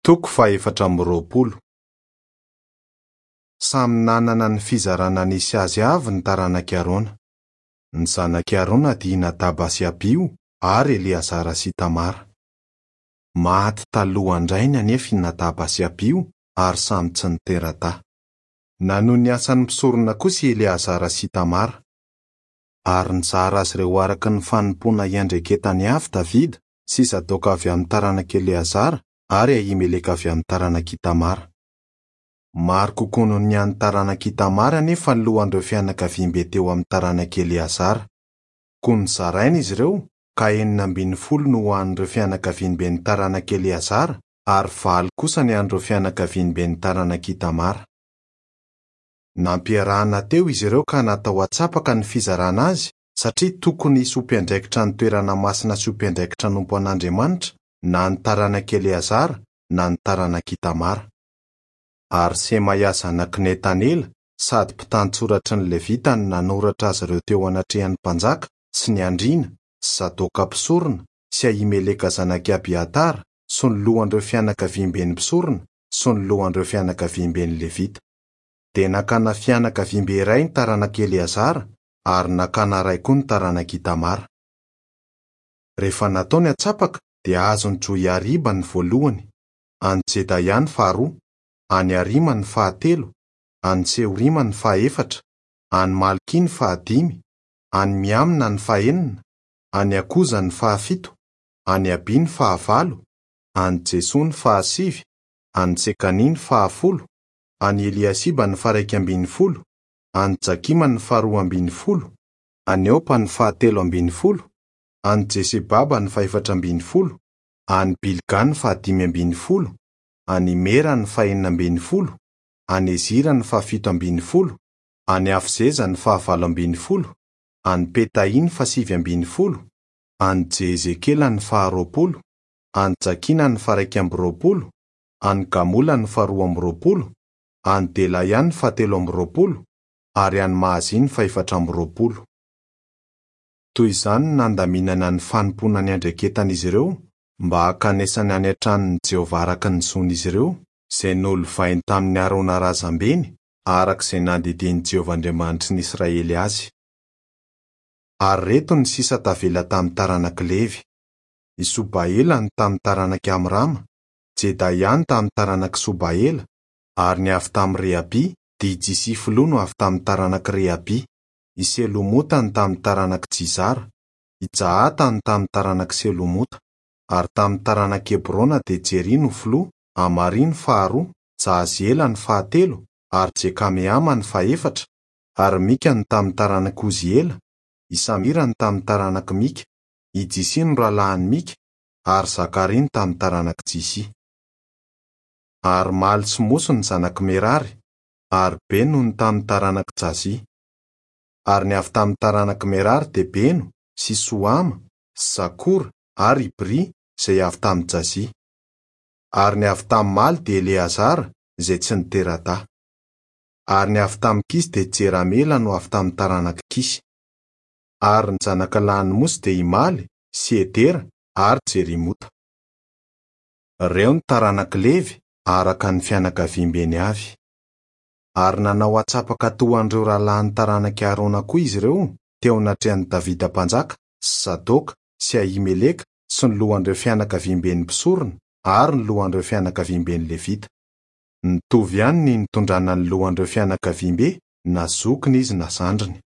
Toko faha-24. Samy nanana ny fizarana nisy azy avy ny taranak'i Arona. Ny zanak'i Arona dia i Nadaba sy Abiho ary Eleazara sy Itamara. Maty talohan-drainy anefa i Nadaba sy Abiho ary samy tsy nitera-dahy. Nanohy ny asan'ny mpisorona kosa i Eleazara sy Itamara. Ary nizara azy ireo araka ny fanompoana iandreketany avy Davida sy Zadoka avy amin'ny taranak'i Eleazara ary Ahimeleka avy amin'ny taranak'i Itamara. Maro kokoa noho ny an'ny taranak'i Itamara anefa ny lohan'ireo fianakaviambe teo amin'ny taranak'i Eleazara. Koa nozaraina izy ireo, ka 16 no ho an'ireo fianakaviamben'ny taranak'i Eleazara, ary valo kosa ny an'ireo fianakaviamben'ny taranak'i Itamara. Nampiarahana teo izy ireo ka natao antsapaka ny fizarana azy, satria tokony hisy ho mpiandraikitra ny toerana masina sy ho mpiandraikitra hanompo an'Andriamanitra na ny taranak'i Eleazara na ny taranak'i Itamara. Ary Semaia zanak'i Netanela sady mpitantsoratry ny Levita no nanoratra azy ireo teo anatrehan'ny mpanjaka sy ny andriana sy Zadoka mpisorona sy Ahimeleka zanak'i Abiatara sy ny lohan'ireo fianakaviamben'ny mpisorona sy ny lohan'ireo fianakaviamben'ny Levita. Dia nakana fianakaviambe iray ny taranak'i Eleazara ary nakana iray koa ny taranak'i Itamara. Rehefa natao ny antsapaka dia azon'i Joiariba ny voalohany, an'i Jedaia ny faharoa, an'i Harima ny fahatelo, an'i Seorima ny fahefatra, an'i Malkia ny fahadimy, an'i Miamina ny fahenina, an'i Akoza ny fahafito, an'i Abia ny fahavalo, an'i Jesoa ny fahasivy, an'i Sekania ny fahafolo, an'i Eliasiba ny faharaika ambin'ny folo, an'i Jakima ny faharoa ambin'ny folo, an'i Opa ny fahatelo ambin'ny folo, an'i Jesebaba ny fahefatra ambin'ny folo, an'i Bilga ny fahadimy ambin'ny folo, an'i Imera ny fahenina ambin'ny folo, an'i Ezira ny fahafito ambin'ny folo, an'i Hafzeza ny fahavalo ambin'ny folo, an'i Petahia ny fahasivy ambin'ny folo, an'i Jehezekela ny faharoapolo, an'i Jakina ny faharaika amby roapolo, an'i Gamola ny faharoa amby roapolo, an'i Delaia ny fahatelo amby roapolo, ary an'i Mahazia ny fahefatra amby roapolo. Toy izany no nandaminana ny fanompoana niandraiketan'izy ireo mba hankanesany any an-tranon'i Jehovah araka ny zon'izy ireo, izay nolovainy tamin'i Arona razambeny, araka izay nandidian'i Jehovah Andriamanitry ny Israely azy. Ary ireto ny sisa tavela tamin'ny taranak'i Levy, I Sobaela no tamin'ny taranak'i Amrama, Jedaia no tamin'ny taranak'i Sobaela, ary ny avy tamin'i Rehabia dia i Jisia filoha no avy tamin'ny taranak'i Rehabia. I Selomota no tamin'ny taranak'i Jizara, i Jahata no tamin'ny taranak'i Selomota. Ary tamin'ny taranak'i Hebrona dia Jeria no filoha, Amaria no faharoa, Jahaziela no fahatelo, ary Jekameama no fahefatra, ary Mika no tamin'ny taranak'i Oziela, i Samira no tamin'ny taranak'i Mika, i Jisia no rahalahin'i Mika, ary Zakaria no tamin'ny taranak'i Jisia. Ary Maly sy Mosy no zanak'i Merary, ary Beno no tamin'ny taranak'i Jazia. Ary ny avy tamin'ny taranak'i Merary dia Beno sy Sohama sy Zakora ary Ibry izay avy tamin'i Jazia. Ary ny avy tamin'i Maly dia Eleazara izay tsy nitera-dahy. Ary ny avy tamin'i Kisy dia Jeramela no avy tamin'ny taranak'i Kisy. Ary ny zanaka lahin'i Mosy dia i Maly sy Edera ary Jerimota. Ireo ny taranak'i Levy araka ny fianakaviambeny avy. Ary nanao antsapaka toa an'ireo rahalahin'ny taranak'i Arona koa izy ireo teo anatrehan'i Davida mpanjaka sy Zadoka sy Ahimeleka sy ny lohan'ireo fianakaviamben'ny mpisorona ary ny lohan'ireo fianakaviamben'ny Levita. Nitovy ihany ny nitondrana ny lohan'ireo fianakaviambe na zokiny izy na zandriny.